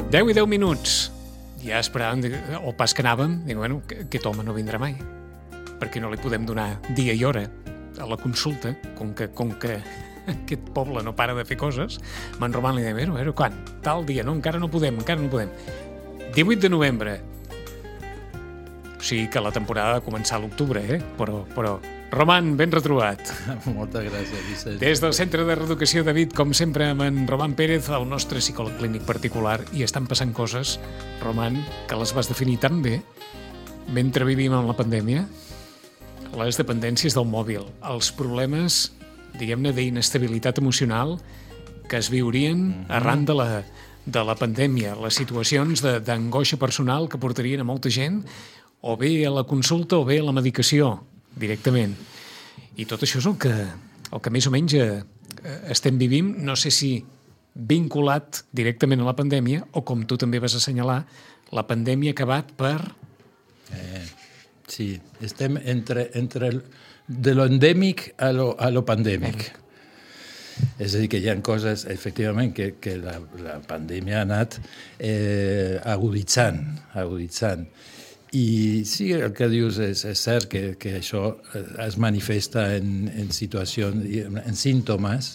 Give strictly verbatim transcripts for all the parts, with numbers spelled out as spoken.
deu i deu minuts. Ja esperàvem, o pas que anàvem, dic, bueno, aquest home no vindrà mai, perquè no li podem donar dia i hora a la consulta, com que, com que aquest poble no para de fer coses. Me'n Roman li deia, bueno, bueno, quan? Tal dia, no, encara no podem, encara no podem. divuit de novembre. O sigui que la temporada ha de començar a l'octubre, eh? Però, però... Roman, ben retrobat. Moltes gràcies, Vicent. Des del Centre de Reeducació David, com sempre, amb en Roman Pérez, el nostre psicòleg clínic particular, i estan passant coses, Roman, que les vas definir tan bé mentre vivim amb la pandèmia. Les dependències del mòbil, els problemes, diguem-ne, d'inestabilitat emocional que es viurien mm-hmm. arran de la, de la pandèmia, les situacions de, d'angoixa personal que portarien a molta gent o bé a la consulta o bé a la medicació directament. I tot això és el que, el que més o menys eh, estem vivint, no sé si vinculat directament a la pandèmia o, com tu també vas assenyalar, la pandèmia ha acabat per... Eh, sí, estem entre, entre el, de lo endèmic a lo, a lo pandèmic. És a dir, que hi ha coses, efectivament, que, que la, la pandèmia ha anat eh, aguditzant, aguditzant. I sí, el que dius és, és cert que, que això es manifesta en, en situacions, en símptomes,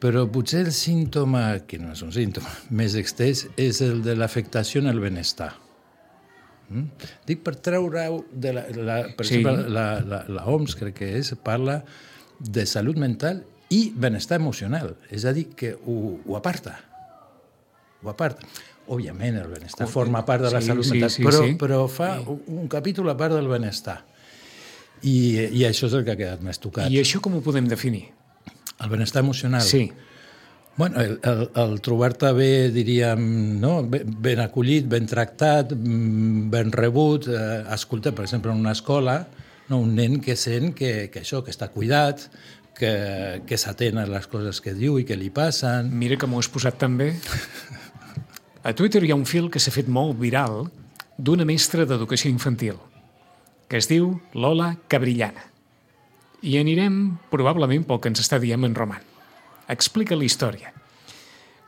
però potser el símptoma, que no és un símptoma, més extès, és el de l'afectació en el benestar. Mm? Dic per treure-ho de la, la, per sí. exemple, la, la, la O M S, crec que és, parla de salut mental i benestar emocional, és a dir, que ho, ho aparta. Ho aparta. Òbviament, el benestar oh, forma part de la sí, salut sí, mental, sí, però, sí. però fa sí. un capítol a part del benestar. I, I això és el que ha quedat més tocat. I això com ho podem definir? El benestar emocional? Sí. Bueno, el, el, el trobar-te bé, diríem, no? ben acollit, ben tractat, ben rebut, eh, escolta, per exemple, en una escola, no? Un nen que sent que, que això, que està cuidat, que, que s'atén a les coses que diu i que li passen. Mira que m'ho has posat tan bé. A Twitter hi ha un fil que s'ha fet molt viral d'una mestra d'educació infantil que es diu Lola Cabrillana. I anirem probablement pel que ens està dient en Roman. Explica la història.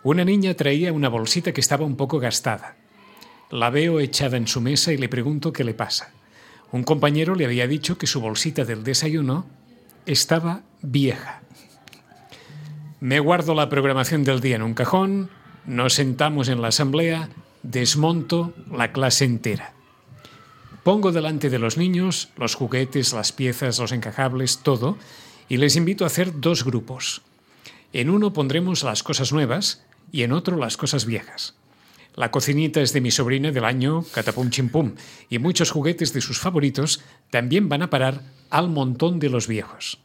Una niña traía una bolsita que estaba un poco gastada. La veo echada en su mesa y le pregunto qué le pasa. Un compañero le había dicho que su bolsita del desayuno estaba vieja. Me guardo la programación del día en un cajón. Nos sentamos en la asamblea, desmonto la clase entera. Pongo delante de los niños los juguetes, las piezas, los encajables, todo, y les invito a hacer dos grupos. En uno pondremos las cosas nuevas y en otro las cosas viejas. La cocinita es de mi sobrina del año catapum chimpum, y muchos juguetes de sus favoritos también van a parar al montón de los viejos.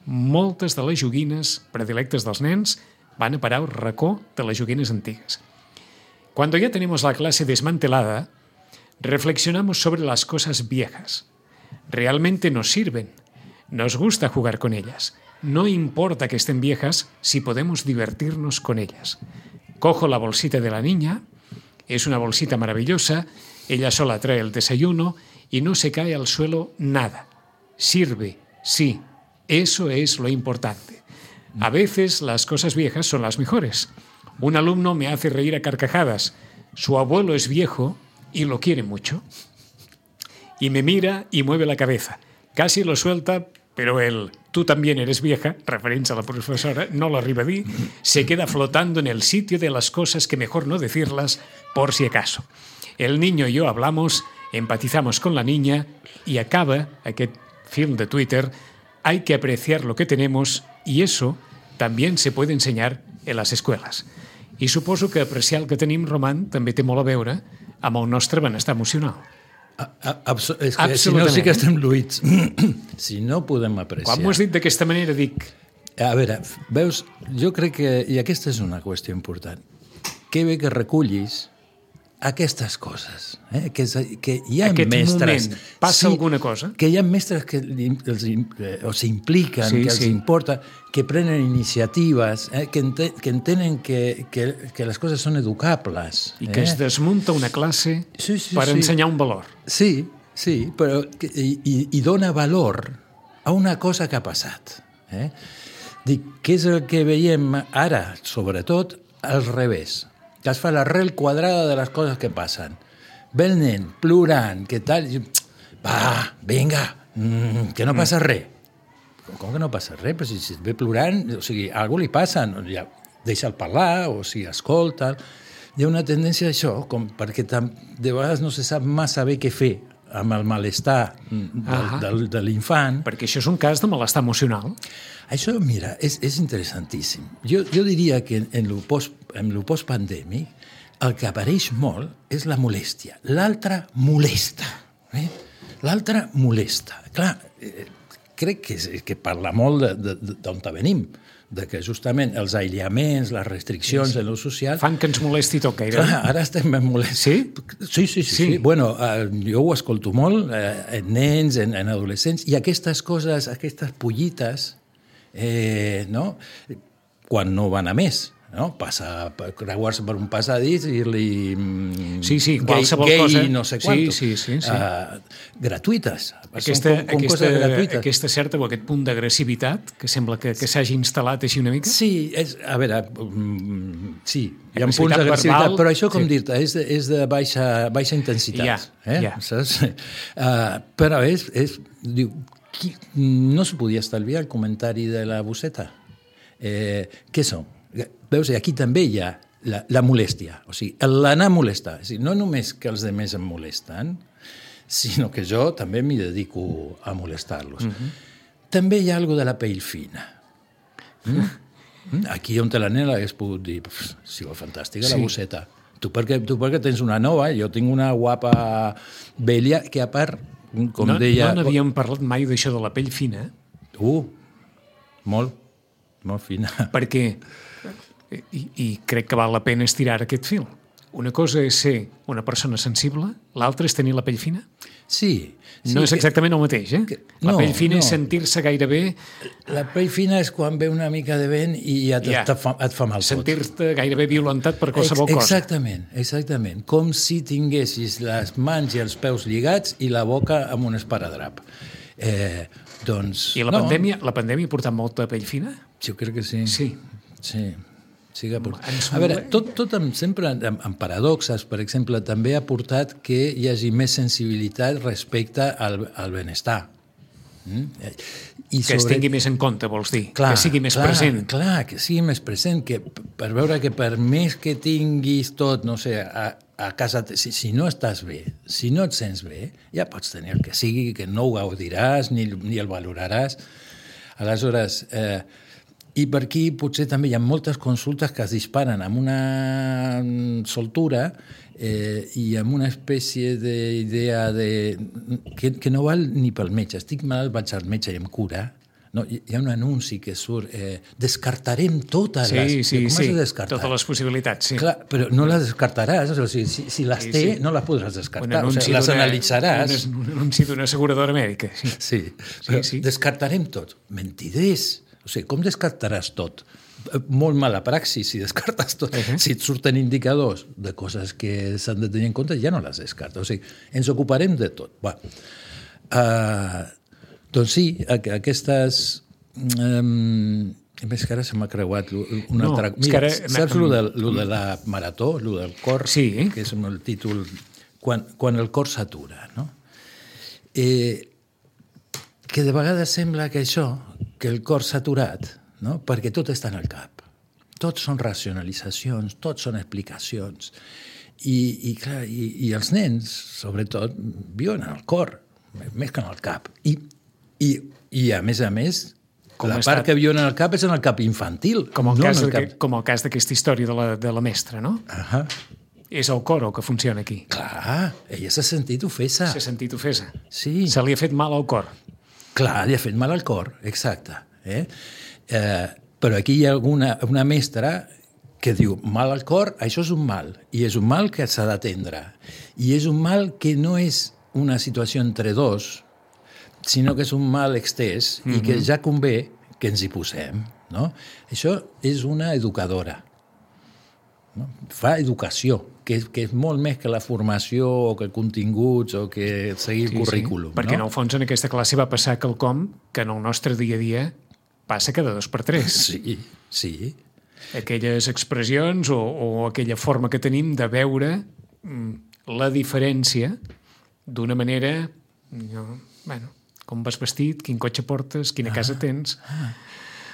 Moltes de les joguines predilectes dels nens van a parar al racó de las joguines antiguas. Cuando ya tenemos la clase desmantelada, reflexionamos sobre las cosas viejas. Realmente nos sirven. Nos gusta jugar con ellas. No importa que estén viejas si podemos divertirnos con ellas. Cojo la bolsita de la niña. Es una bolsita maravillosa. Ella sola trae el desayuno y no se cae al suelo nada. Sirve, sí. Eso es lo importante. A veces las cosas viejas son las mejores. Un alumno me hace reír a carcajadas. Su abuelo es viejo y lo quiere mucho. Y me mira y mueve la cabeza. Casi lo suelta, pero él, tú también eres vieja, referencia a la profesora, no lo arriba a dir, se queda flotando en el sitio de las cosas que mejor no decirlas por si acaso. El niño y yo hablamos, empatizamos con la niña y acaba aquest film de Twitter. Hay que apreciar lo que tenemos y eso también se puede enseñar en las escuelas. I suposo que apreciar el que tenim, Roman, també té molt a veure amb el nostre benestar emocional. A, a, abso- és que si no sí que estem lluïts. Si no podem apreciar. Quan m'ho has dit d'aquesta manera, dic... A veure, veus, jo crec que, i aquesta és una qüestió important, que bé que recullis aquestes coses, eh? que, és, que hi ha Aquest mestres... moment, passa sí, alguna cosa? Que hi ha mestres que els, o s'impliquen, sí, que els sí. importa, que prenen iniciatives, eh? que, ente, que entenen que, que, que les coses són educables. I que eh? es desmunta una classe sí, sí, per sí. ensenyar un valor. Sí, sí, però que, i, i dona valor a una cosa que ha passat. Eh? Dic, què és el que veiem ara, sobretot, al revés. que es fa l'arrel quadrada de les coses que passen. Ve el nen, plorant, què tal? Va, vinga, mm, que no passa res. Com que no passa res? Però si, si et ve plorant, o sigui, a algú li passa, no, ja, deixa'l parlar, o si escolta. Hi ha una tendència a això, com perquè tam, de vegades no se sap massa bé què fer amb el malestar del, del, de l'infant. Perquè això és un cas de malestar emocional. Això, mira, és, és interessantíssim. Jo, jo diria que en el post, en el post-pandèmic el que apareix molt és la molèstia. L'altre molesta. Eh? L'altre molesta. Clar, eh, crec que, que parla molt d'on venim, de que justament els aïllaments, les restriccions en l'ús social... Fan que ens molesti tot gaire. Clar, ara estem ben molestos. Sí? Sí, sí, sí. sí. sí. Bueno, eh, jo ho escolto molt eh, en nens, en, en adolescents, i aquestes coses, aquestes pollites, eh, no? Quan no van a més, no? Passa, creuar-se per un passadís i dir-li sí, sí, gay, gay cosa. no sé quantos. Sí, sí, sí, sí. Uh, gratuïtes. Aquesta, com, com aquesta, gratuïtes. Aquesta certa o aquest punt d'agressivitat que sembla que, que s'hagi instal·lat així una mica? Sí, és, a veure, um, sí, hi ha punts d'agressivitat, però això, com sí. dir-te, és, de, és de baixa, baixa intensitat. Ja, eh? ja. Saps? Uh, però és, és diu, qui, no se podia estalviar el comentari de la bosseta. Eh, què són? Veus, aquí també hi ha la, la molèstia, o sigui, l'anar a molestar. O sigui, no només que els altres em molesten, sinó que jo també m'hi dedico a molestar-los. Mm-hmm. També hi ha alguna de la pell fina. Mm? Aquí on te la nena hagués pogut dir, sí, fantàstica, sí. La bosseta. Tu perquè, tu perquè tens una nova, jo tinc una guapa vella que a part, com no, deia... No n'havíem parlat mai d'això de la pell fina. Uh, molt, molt fina. Perquè... I, i crec que val la pena estirar aquest fil. Una cosa és ser una persona sensible, l'altra és tenir la pell fina? Sí. sí no és exactament que, el mateix, eh? Que, la no, pell fina no. és sentir-se gairebé... La pell fina és quan ve una mica de vent i ja, ja. Et, fa, et fa mal tot. Sentir-te gairebé violentat per qualsevol Ex- cosa. Exactament, exactament. Com si tinguessis les mans i els peus lligats i la boca amb un esparadrap. Eh, doncs... I la, no. pandèmia, la pandèmia ha portat molta pell fina? Jo crec que sí. Sí. Sí. Sí que a veure, tot, tot amb, sempre amb, amb paradoxes, per exemple, també ha portat que hi hagi més sensibilitat respecte al, al benestar. Mm? I que sobre... es tingui més en compte, vols dir? Clar, que sigui més clar, present. Clar, que sigui més present, que per veure que per més que tinguis tot, no sé, a, a casa, si, si no estàs bé, si no et sents bé, ja pots tenir el que sigui, que no ho gaudiràs ni, ni el valoraràs. Aleshores... Eh, I per aquí potser també hi ha moltes consultes que es disparen amb una soltura eh, i amb una espècie d'idea de, que, que no val ni pel metge. Estic malalt, vaig al metge i em cura. No, hi ha un anunci que surt, eh, descartarem totes sí, les... Sí, com sí, totes les possibilitats, sí. Clar, però no les descartaràs, o sigui, si, si les sí, té, sí. no les podràs descartar, o sigui, les analitzaràs. Un anunci d'una asseguradora mèdica. Sí, sí, però sí, sí. Descartarem tot. Mentiders. O sigui, com descartaràs tot? Molt mala praxis si descartes tot. Uh-huh. Si et surten indicadors de coses que s'han de tenir en compte, ja no les descartes. O sigui, ens ocuparem de tot. Va. Uh, doncs sí, aquestes... Um, més que ara se m'ha creuat una no, altra... Mira, ara... saps lo de, lo de la marató, lo del cor, sí. que és el títol... Quan, quan el cor s'atura, no? Eh, que de vegades sembla que això, que el cor s'ha aturat, no? Perquè tot està en el cap. Tot són racionalitzacions, tot són explicacions. I, i, clar, i, i els nens, sobretot, viuen en el cor, més que en el cap. I, i, i a més a més, com la part que viuen en el cap és en el cap infantil. Com el, no cas, el cap... com el cas d'aquesta història de la, de la mestra, no? Ahà. És el cor el que funciona aquí. Clar, ella s'ha sentit ofesa. S'ha sentit ofesa. Sí. Se li ha fet mal al cor. Clar, li ha fet mal al cor, exacte. Eh? Eh, però aquí hi ha alguna, una mestra que diu, mal al cor, això és un mal, i és un mal que s'ha d'atendre. I és un mal que no és una situació entre dos, sinó que és un mal extès mm-hmm. i que ja convé que ens hi posem. No? Això és una educadora. No? Fa educació, que és, que és molt més que la formació o que continguts o que seguir el sí, currículum. Sí. Perquè no? en el fons en aquesta classe va passar quelcom que en el nostre dia a dia passa cada dos per tres. Sí, sí. aquelles expressions o, o aquella forma que tenim de veure la diferència d'una manera, no, bueno, com vas vestit, quin cotxe portes, quina casa tens. Ah,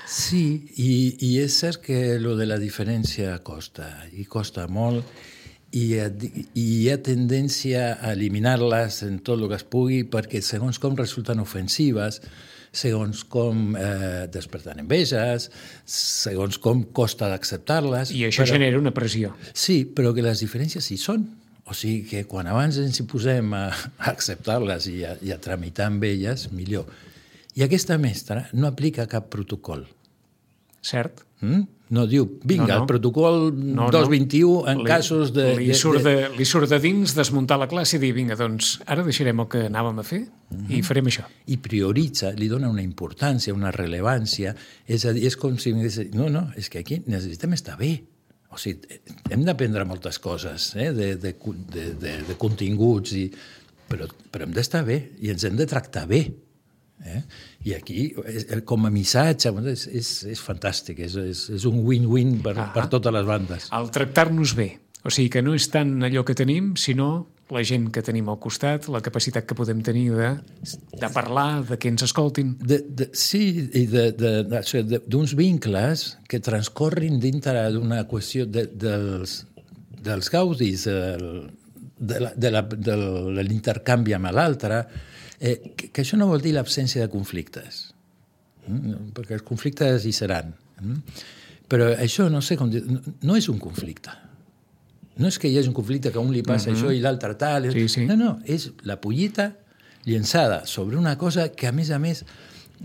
sí, i, i és cert que lo de la diferència costa, i costa molt, i, i hi ha tendència a eliminar-les en tot el que es pugui perquè segons com resulten ofensives, segons com eh, desperten enveges, segons com costa d'acceptar-les. I això però, genera una pressió. Sí, però que les diferències hi són. O sigui que quan abans ens hi posem a, a acceptar-les i a, i a tramitar amb elles, millor. I aquesta mestra no aplica cap protocol. Cert. Mm? No diu, vinga, no, no. el protocol no, dos vint i u en li, casos de... Li surt de, de... li surt de dins desmuntar la classe i dir, vinga, doncs ara deixarem el que anàvem a fer mm-hmm. i farem això. I prioritza, li dona una importància, una rellevància, és a dir, és com si... No, no, és que aquí necessitem estar bé. O sigui, hem d'aprendre moltes coses eh, de, de, de, de, de continguts, i, però, però hem d'estar bé i ens hem de tractar bé. Eh? I aquí, com a missatge, és, és, és fantàstic, és, és, és un win-win per, ah, per totes les bandes. El tractar-nos bé, o sigui que no és tant allò que tenim, sinó la gent que tenim al costat, la capacitat que podem tenir de, de parlar, de que ens escoltin. De, de, sí, i d'uns vincles que transcorrin dintre d'una qüestió de, dels, dels gaudis, de, la, de, la, de l'intercanvi amb l'altre, eh, que, que això no vol dir l'absència de conflictes, mm? perquè els conflictes hi seran. Mm? Però això, no sé com dir, no, no és un conflicte. No és que hi hagi un conflicte que a un li passa uh-huh. això i l'altre tal. Sí, sí. No, no, és la pollita llençada sobre una cosa que, a més a més,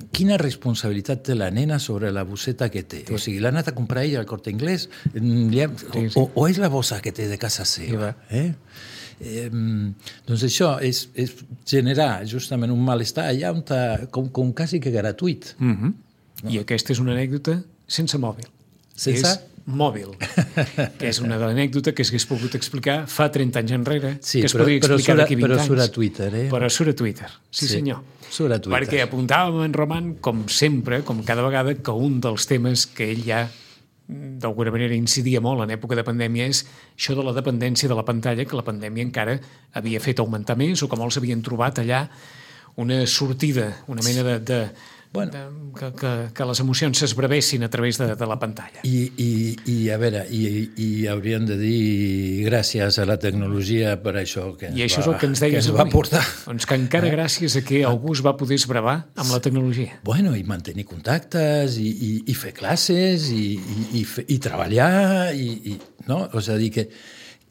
quina responsabilitat té la nena sobre la bosseta que té. Sí. O sigui, l'ha anat a comprar ella al Corte Inglés, ha... sí, sí. O, o és la bossa que té de casa seva. Sí, eh? Eh, doncs això és, és generar justament un malestar allà on ta, com, com quasi que gratuït. Uh-huh. No? I aquesta és una anècdota sense mòbil. Sense? És mòbil, que és una anècdota que s'hagués pogut explicar fa trenta anys enrere, sí, que es però, podria explicar d'aquí vint però anys. Però surt a Twitter, eh? Però surt a Twitter, sí, sí senyor. Surt a Twitter. Perquè apuntàvem en Roman, com sempre, com cada vegada, que un dels temes que ell ja d'alguna manera incidia molt en època de pandèmia és això de la dependència de la pantalla, que la pandèmia encara havia fet augmentar més, o que molts havien trobat allà una sortida, una mena de... de Bueno, de, que, que, que les emocions s'esbravessin a través de, de la pantalla. I, i, i a veure, i, i hauríem de dir gràcies a la tecnologia per això que ens, I això va, és el que ens deies que ens va portar. Doncs que encara eh? gràcies a que algú es va poder esbravar amb la tecnologia. Bueno, i mantenir contactes, i, i, i fer classes, i, i, i, fer, i treballar, i, i, no? O sigui, que,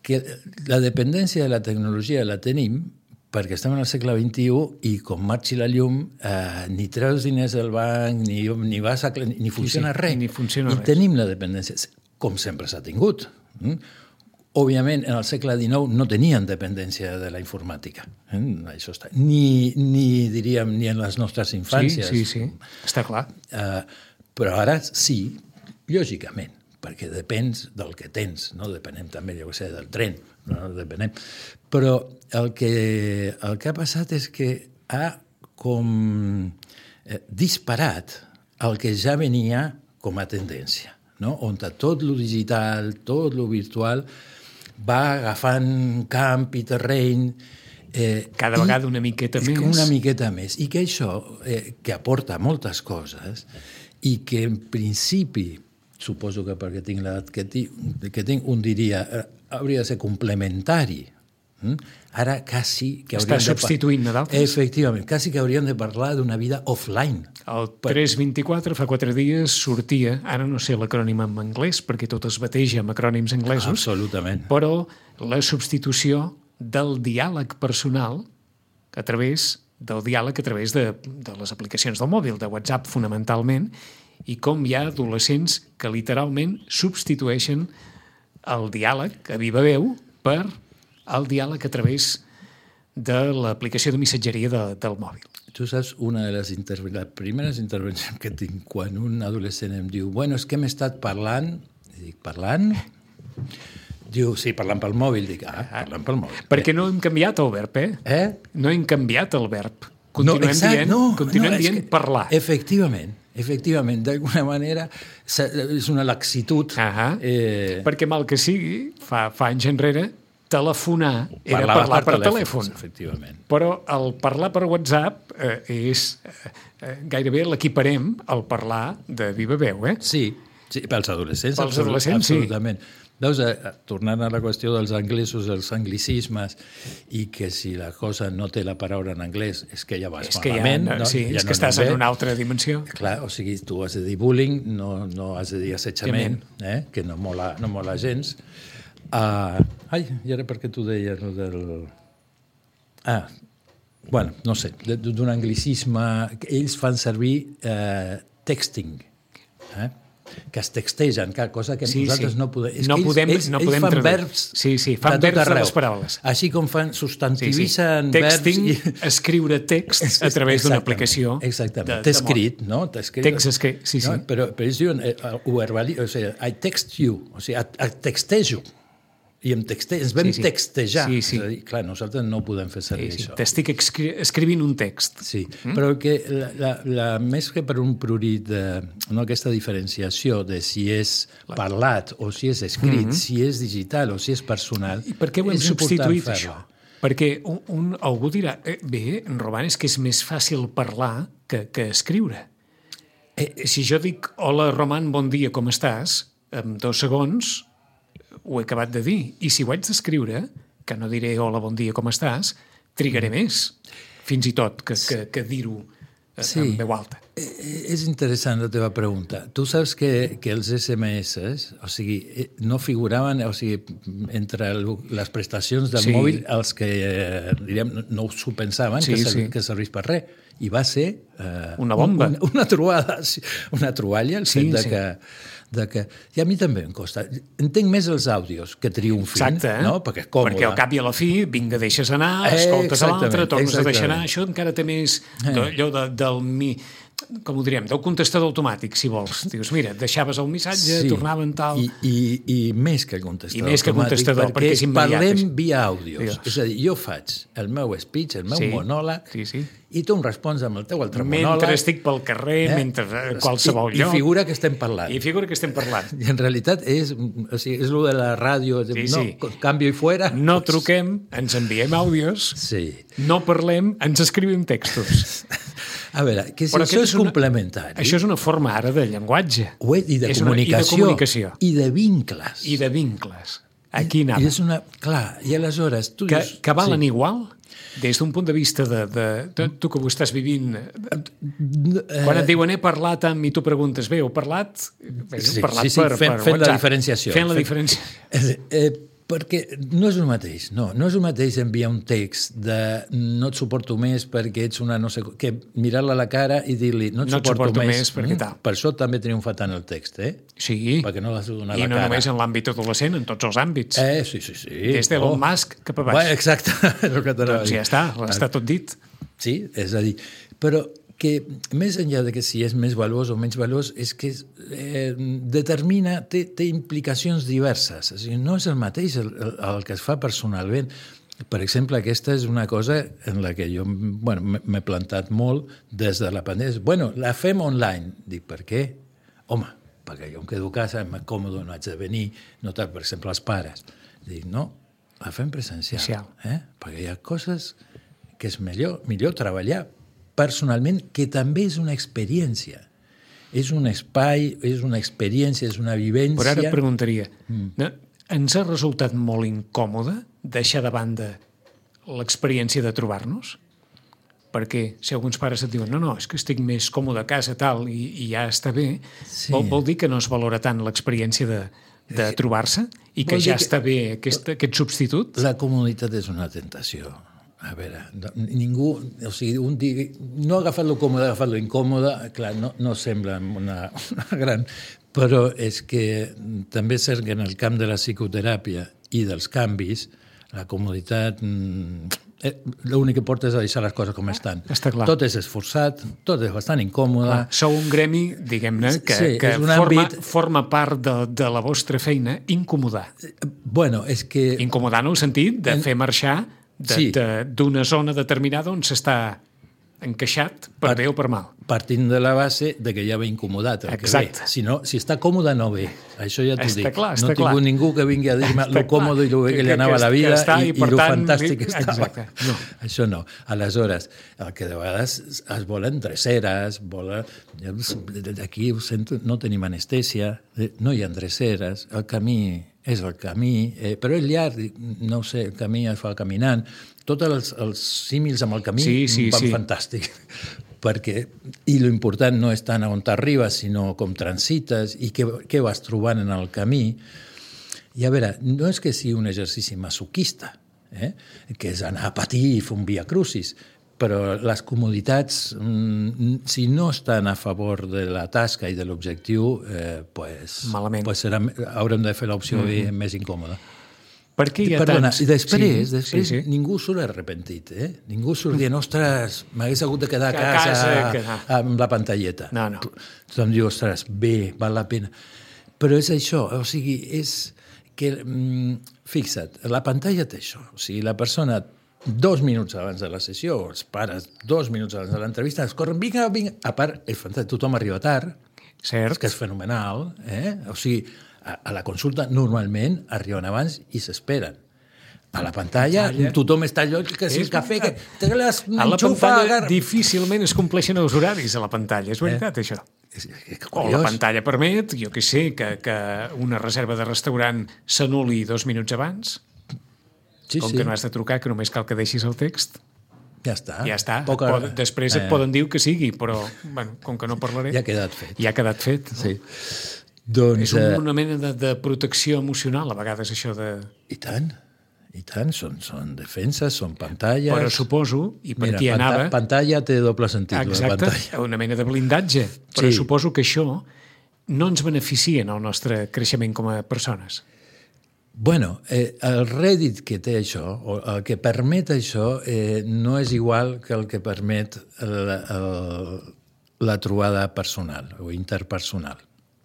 que la dependència de la tecnologia la tenim perquè estem en el segle vint i u i com marxi la llum eh, ni treus diners del banc, ni, ni, vas a, ni, ni funciona sí, sí, res. Ni funciona I res. Tenim la dependència, com sempre s'ha tingut. Mm? Òbviament, en el segle dinou no tenien dependència de la informàtica. Eh? Això està. Ni, ni, diríem, ni en les nostres infàncies. Sí, sí, sí. Està clar. Eh, però ara sí, lògicament, perquè depens del que tens, no? Depenem també, jo què sé, del tren, no? Depenem. Però el que, el que ha passat és que ha com eh, disparat el que ja venia com a tendència, no? On tot lo digital, tot lo virtual va agafant camp i terreny. Eh, Cada vegada una miqueta més. Una miqueta més. I que això, eh, que aporta moltes coses i que en principi, suposo que perquè tinc l'edat que, que tinc, un diria, eh, hauria de ser complementari. Mm? Ara quasi que està substituint a d'altres. Efectivament, quasi que hauríem de parlar d'una vida offline. El tres vint-i-quatre, fa quatre dies, sortia, ara no sé l'acrònim en anglès, perquè tot es bateja amb acrònims anglesos, absolutament, però la substitució del diàleg personal a través del diàleg a través de, de les aplicacions del mòbil, de WhatsApp fonamentalment, i com hi ha adolescents que literalment substitueixen el diàleg a viva veu per el diàleg a través de l'aplicació de missatgeria de, del mòbil. Tu saps, una de les, interve- les primeres intervencions que tinc quan un adolescent em diu bueno, és que hem estat parlant, i dic, parlant? Diu, sí, parlant pel mòbil. Dic, ah, parlant pel mòbil. Perquè no hem canviat el verb, eh? Eh? No hem canviat el verb. Continuem no, exacte, dient, no, continuem no, dient que, parlar. Efectivament, efectivament, d'alguna manera és una laxitud. Uh-huh. Eh... Perquè mal que sigui, fa, fa anys enrere, telefonar era Parlava parlar per, per telèfon. Efectivament. Però el parlar per WhatsApp eh, és eh, gairebé l'equiparem al parlar de viva veu, eh? Sí, sí, pels adolescents. Pels adolescents, sí. Absolutament. Veus, tornant a la qüestió dels anglesos, els anglicismes, i que si la cosa no té la paraula en anglès és que ja vas és que malament. Ja, no? Sí, ja és no que estàs bé. en una altra dimensió. Clar, o sigui, tu has de dir bullying, no, no has de dir assetjament, eh? Que no mola, no mola gens. Uh, ai, i ara per què tu deies el del... Ah, bueno, no sé, d'un anglicisme... Ells fan servir eh, texting, eh? Que es textegen, que cosa que sí, nosaltres sí. no podem... És no que ells, podem, ells, no ells podem fan traduir. verbs sí, sí, fan de verbs tot de arreu. les paraules. Així com fan substantivitzen sí, sí. Texting, verbs... I... escriure text a través d'una aplicació. Exactament, t'he escrit, no? Escrit, text escrit, sí, sí. No? Però, però ells diuen, eh, ho verbali, o sigui, I text you, o sigui, et, et textejo. I em texte, ens vam sí, sí. textejar. Sí, sí. És a dir, clar, nosaltres no podem fer servir sí, sí. això. T'estic escri escrivint un text. Sí, mm? Però que la, la, la, més que per un prurit, de, no, aquesta diferenciació de si és parlat o si és escrit, mm -hmm. si és digital o si és personal... I per què ho hem substituït, això? Perquè un, un, algú dirà, eh, bé, Roman, és que és més fàcil parlar que, que escriure. Eh, si jo dic, hola, Roman, bon dia, com estàs? En dos segons... ho he acabat de dir. I si ho haig d'escriure, que no diré hola, bon dia, com estàs, trigaré més, fins i tot, que, que, que dir-ho sí. en veu alta. És interessant la teva pregunta. Tu saps que, que els esse eme esse, o sigui, no figuraven, o sigui, entre les prestacions del sí. mòbil, els que, diríem, no s'ho pensaven, sí, que, servís, sí. que servís per res. I va ser... Eh, una bomba. Una, una trobada, una troballa, el sí, fet de sí. que... De que, i a mi també em costa. Entenc més els àudios que triomfin. Exacte, eh? No? Perquè és còmode. Perquè al cap i a la fi, vinga, deixes anar, escoltes eh, a l'altre, tornes a deixar anar. Això encara té més eh. allò de, del... mi com ho diríem, del contestador automàtic, si vols. Dius, mira, deixaves el missatge, sí. tornaven tal... I, i, I més que el contestador I més que contestador, automàtic, perquè és immediat. Parlem via àudios. Dios. És a dir, jo faig el meu speech, el meu sí. monòleg, sí, sí. i tu em respons amb el teu altre mentre monòleg. Mentre estic pel carrer, eh? mentre a qualsevol I, lloc... I figura que estem parlant. I figura que estem parlant. I en realitat és, o sigui, és el de la ràdio, sí, no, sí. canvio i fuera. No truquem, ens enviem àudios, sí. no parlem, ens escrivim textos. A veure, que si Però això és una, complementari... Això és una forma ara de llenguatge. Ho és, i de, és comunicació, una, I de comunicació. I de vincles. I de vincles. Aquí anava. I és una... Clar, i aleshores... Tu que, dius, que valen sí. igual? Des d'un punt de vista de, de, de... Tu que ho estàs vivint... Eh, quan et diuen he parlat amb... I tu preguntes, bé, heu parlat? Bé, heu sí, parlat sí, sí, per, fent, per fent WhatsApp. la diferenciació. Fent la diferenciació. Eh, eh, perquè no és el mateix, no. No és el mateix enviar un text de no et suporto més perquè ets una no sé... que mirar-la a la cara i dir-li no et no suporto, suporto més, més perquè tal. Per això també triomfa tant el text, eh? Sí. Perquè no l'has de donar a I la no cara. només en l'àmbit adolescent, en tots els àmbits. Eh, sí, sí, sí. Des d'Elon oh. Musk cap a baix. Bueno, exacte. Doncs ja està, està tot dit. Sí, és a dir, però que més enllà de que si és més valuós o menys valuós, és que eh, determina, té, té implicacions diverses. O sigui, no és el mateix el, el, el que es fa personalment. Per exemple, aquesta és una cosa en la que jo bueno, m'he plantat molt des de la pandèmia. Bueno, la fem online. Dic, per què? Home, perquè jo em quedo a casa, em còmode, no haig de venir, no tal, per exemple, els pares. Dic, no, la fem presencial. Eh? Perquè hi ha coses que és millor, millor treballar personalment, que també és una experiència. És un espai, és una experiència, és una vivència... Però ara et preguntaria, mm. ens ha resultat molt incòmode deixar de banda l'experiència de trobar-nos? Perquè si alguns pares et diuen no, no, és que estic més còmode a casa tal i, i ja està bé, sí. vol, vol dir que no es valora tant l'experiència de, de trobar-se i que ja que està bé aquest, aquest substitut? La comoditat és una tentació. A veure, ningú... O sigui, un dia... No ha agafat-lo còmode, ha agafat-lo incòmode, clar, no, no sembla una, una gran... Però és que també és cert que en el camp de la psicoteràpia i dels canvis, la comoditat... Eh, l'únic que porta és a deixar les coses com estan. Està clar. Tot és esforçat, tot és bastant incòmode. Clar, sou un gremi, diguem-ne, que, sí, que forma, àmbit... forma part de, de la vostra feina incomodar. Bueno, és que... Incomodar en el sentit de en... fer marxar d'una sí. zona determinada on s'està encaixat per, per bé o per mal. partint de la base de que ja ve incomodat el Exacte. que ve. Si, no, si està còmode, no ve. Això ja t'ho Està dic. clar, està no he tingut clar. ningú que vingui a dir-me Està lo còmode clar. i lo bé que, Que- li anava que- la que vida està, i, i i per lo tant, fantàstic que exacte. estava. No. Això no. Aleshores, el que de vegades es volen dreceres, volen... Aquí ho sento, no tenim anestèsia, no hi ha dreceres, el camí és el camí, eh, però és llarg, no ho sé, el camí es fa caminant. Tots els, els símils amb el camí Sí, sí, van sí. fantàstic. Perquè, i l'important no és tant on t'arribes, sinó com transites i què, què vas trobant en el camí. I a veure, no és que sigui un exercici masoquista, eh? que és anar a patir i fer un via crucis, però les comoditats, mm, si no estan a favor de la tasca i de l'objectiu, eh, pues, Malament. pues serà, haurem de fer l'opció mm-hmm. més incòmoda. Per què hi ha Perdona, tants... i després, sí, després sí, sí. ningú surt arrepentit, eh? Ningú surt dient, ostres, m'hagués hagut de quedar a Que a casa, casa, que no. amb la pantalleta. No, no. Tothom diu, ostres, bé, val la pena. Però és això, o sigui, és que, mm, fixa't, la pantalla té això. O sigui, la persona, dos minuts abans de la sessió, o els pares, dos minuts abans de l'entrevista, es corren, vinga, vinga. A part, és fantàstic, tothom arriba tard, Cert. que és fenomenal, eh? O sigui, a, a la consulta normalment arriben abans i s'esperen. A la pantalla, pantalla. tothom està allò, que si És el cafè, que veritat. te les A la enxufa, pantalla agarra... difícilment es compleixen els horaris a la pantalla, és veritat, eh? això. És, és, és O la pantalla permet, jo què sé, que, que una reserva de restaurant s'anul·li dos minuts abans, sí, com sí. que no has de trucar, que només cal que deixis el text. Ja està. Ja està. Poca... Pod, després et eh, poden dir que sigui, però bueno, com que no parlaré... Ja ha quedat fet. Ja ha quedat fet. No? Sí. Doncs, És un, eh, una mena de, de protecció emocional, a vegades, això de... I tant, i tant. Són, són defenses, són pantalles... Però suposo, i per Mira, aquí panta anava... pantalla té doble sentit, la Exacte, pantalla. una mena de blindatge. Però Sí. suposo que això no ens beneficia en el nostre creixement com a persones. Bueno, eh, el rèdit que té això, o el que permet això, eh, no és igual que el que permet el, el, la trobada personal o interpersonal.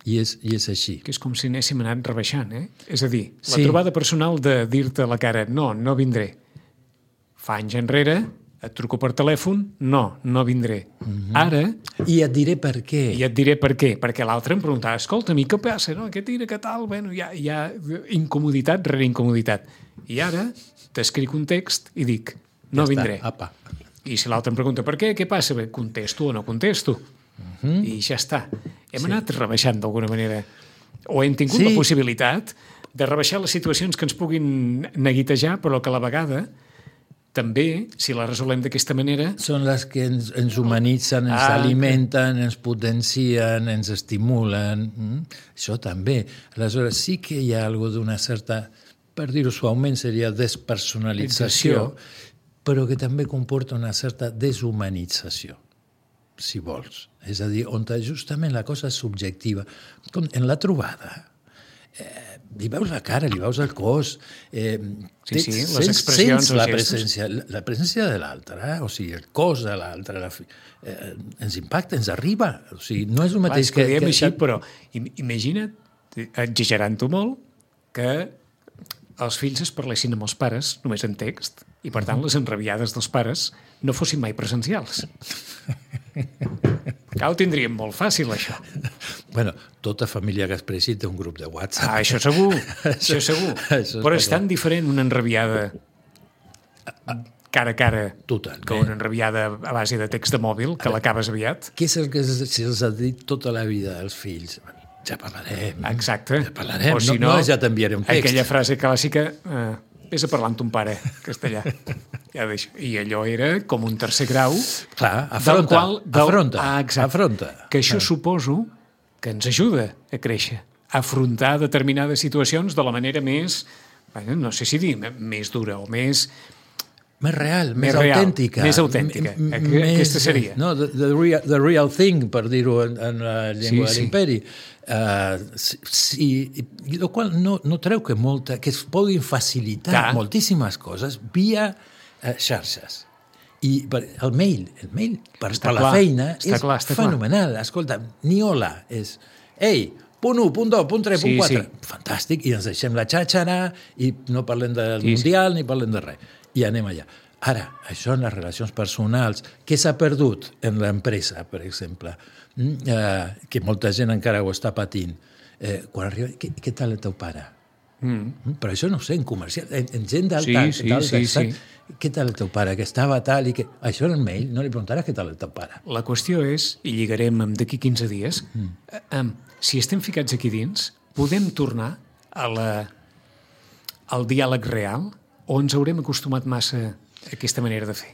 I és, i és així. Que és com si anéssim anant rebaixant, eh? És a dir, la Sí. trobada personal de dir-te a la cara no, no vindré. Fa anys enrere, et truco per telèfon, no, no vindré. Mm-hmm. Ara, I et diré per què. i et diré per què, perquè l'altre em preguntava, escolta, a mi què passa, no? Què tira, què tal? Bueno, hi ha, hi ha incomoditat rere incomoditat. I ara t'escric un text i dic, no Ja vindré. Està, apa. I si l'altre em pregunta per què, què passa? Bé, contesto o no contesto. Uh-huh. I ja està. Hem sí. anat rebaixant d'alguna manera. O hem tingut Sí. la possibilitat de rebaixar les situacions que ens puguin neguitejar, però que a la vegada també, si la resolem d'aquesta manera... Són les que ens, ens humanitzen, ens Ah, alimenten, ens potencien, ens estimulen. Mm? Això també. Aleshores, sí que hi ha alguna d'una certa, per dir-ho suaument, seria despersonalització, però que també comporta una certa deshumanització, si vols. És a dir, on justament la cosa és subjectiva. Com en la trobada, eh, li veus la cara, li veus el cos, eh, Sí, sí, les sents, expressions, sents la els gestos. presència, la, la presència de l'altre, eh? O sigui, el cos de l'altre, la, fi- eh, ens impacta, ens arriba. O sigui, no és el Clar, mateix és que, que diem que... així, però im- imagina't, exagerant-ho molt, que els fills es parlessin amb els pares només en text i, per tant, les enrabiades dels pares no fossin mai presencials. Ja ho tindríem molt fàcil, això. Bueno, tota família que expressi té un grup de WhatsApp. Ah, això segur, això segur. Això Però està és tan diferent una enrabiada cara a cara Totalment. que una enrabiada a base de text de mòbil, que l'acabes aviat. Què és el que se'ls ha dit tota la vida als fills? Ja parlarem. Exacte. Ja parlarem. O si no, no, ja t'enviaré un text. Aquella frase clàssica, eh, vés a parlar amb ton pare, castellà. Ja deixo. I allò era com un tercer grau. Clar, del afronta, qual, del, afronta, ah, exacte, afronta. Que això suposo que ens ajuda a créixer, a afrontar determinades situacions de la manera més, bueno, no sé si dir, més dura o més... Més real, més, Més real, autèntica. més autèntica. M- m- Aqu- aquesta seria. No, the, the, real, the real thing, per dir-ho en, en la llengua Sí, de sí. l'imperi. Uh, sí, sí, i el qual no, no treu que, molta, que es puguin facilitar Clar. moltíssimes coses via uh, xarxes. I per, el mail, el mail per, Està per la clar, feina està és clar, està clar. fenomenal. Escolta, ni hola, és... Ei, punt u, punt dos, punt tres, Sí, punt quatre. sí. Fantàstic, i ens deixem la xàxara i no parlem del Sí, sí. Mundial ni parlem de res. I anem allà. Ara, això en les relacions personals, què s'ha perdut en l'empresa, per exemple, mm? eh, que molta gent encara ho està patint. Eh, quan arriba, què, què tal el teu pare? Mm. Però això no ho sé, en comercial, en, en gent d'alta, sí, sí, sí, sí. Què tal el teu pare, que estava tal i que... Això en el mail, no li preguntaràs què tal el teu pare. La qüestió és, i lligarem amb d'aquí quinze dies, mm. eh, si estem ficats aquí dins, podem tornar a la, al diàleg real o ens haurem acostumat massa a aquesta manera de fer?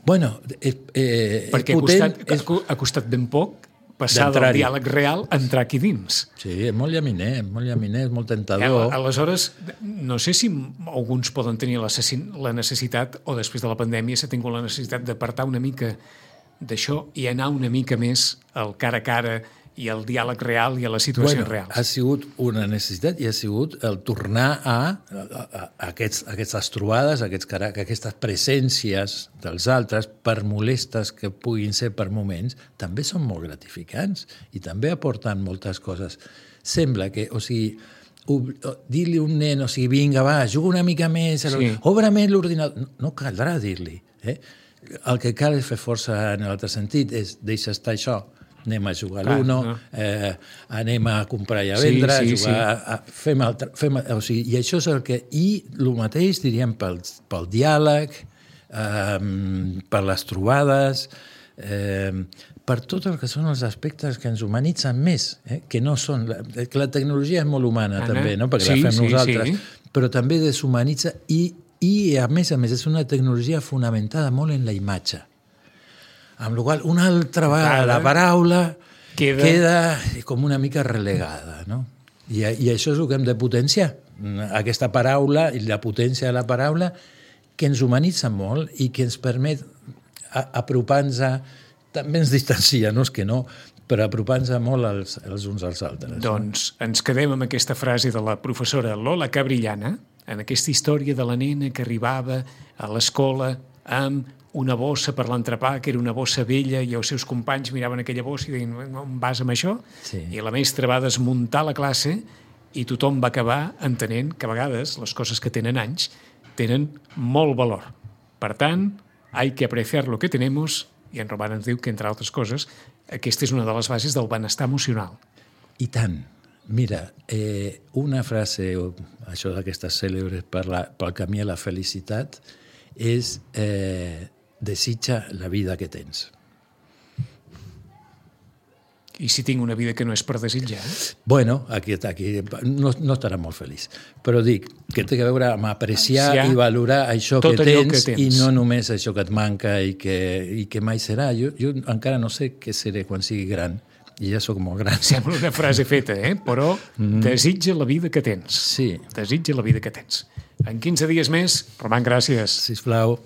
Bueno, eh, eh, perquè és potent, ha, costat, és... ha costat ben poc passar del diàleg real a entrar aquí dins. Sí, és molt llaminer, és molt llaminer, és molt tentador. Eh, aleshores, no sé si alguns poden tenir la necessitat, o després de la pandèmia s'ha tingut la necessitat d'apartar una mica d'això i anar una mica més al cara a cara i al diàleg real i a les situacions bueno, reals. Ha sigut una necessitat i ha sigut el tornar a, a, a, a aquests, aquestes trobades, a aquests, a aquestes presències dels altres, per molestes que puguin ser per moments, també són molt gratificants i també aporten moltes coses. Sembla que, o sigui, dir-li a un nen, o sigui, vinga, va, juga una mica més, sí. Obre més l'ordinador. No, no caldrà dir-li. Eh? El que cal és fer força en l'altre sentit, és deixar estar això, anem a jugar a l'Uno, no. eh, anem a comprar i a vendre, sí, sí, jugar, sí. a, a, fem altre, fem, o sigui, i això és el que... I el mateix diríem pel, pel diàleg, eh, per les trobades, eh, per tot el que són els aspectes que ens humanitzen més, eh, que no són... La, que la tecnologia és molt humana, Anna, també, no? Perquè sí, la fem sí, nosaltres, sí. Però també deshumanitza i, i, a més a més, és una tecnologia fonamentada molt en la imatge. Amb la qual una altra vegada la paraula queda... queda com una mica relegada, no? I, I això és el que hem de potenciar, aquesta paraula i la potència de la paraula que ens humanitza molt i que ens permet apropar-nos a... També ens distancia, no és que no, però apropar-nos molt els, els uns als altres. Doncs no? Ens quedem amb aquesta frase de la professora Lola Cabrillana, en aquesta història de la nena que arribava a l'escola amb una bossa per l'entrepà, que era una bossa vella, i els seus companys miraven aquella bossa i deien, on vas amb això? Sí. I la mestra va desmuntar la classe i tothom va acabar entenent que a vegades les coses que tenen anys tenen molt valor. Per tant, hay que apreciar lo que tenemos, i en Roman ens diu que, entre altres coses, aquesta és una de les bases del benestar emocional. I tant. Mira, eh, una frase, això d'aquestes cèlebres per la, pel camí a la felicitat, és... Eh, desitja la vida que tens. I si tinc una vida que no és per desitjar? Bueno, aquí, aquí no, no estarà molt feliç. Però dic que té a veure amb apreciar ja, i valorar això que tens, que tens i no només això que et manca i que, i que mai serà. Jo, jo encara no sé què seré quan sigui gran. I ja sóc molt gran. Sembla una frase feta, eh? Però mm. desitja la vida que tens. Sí. Desitja la vida que tens. En quinze dies més, Roman, gràcies. Sisplau.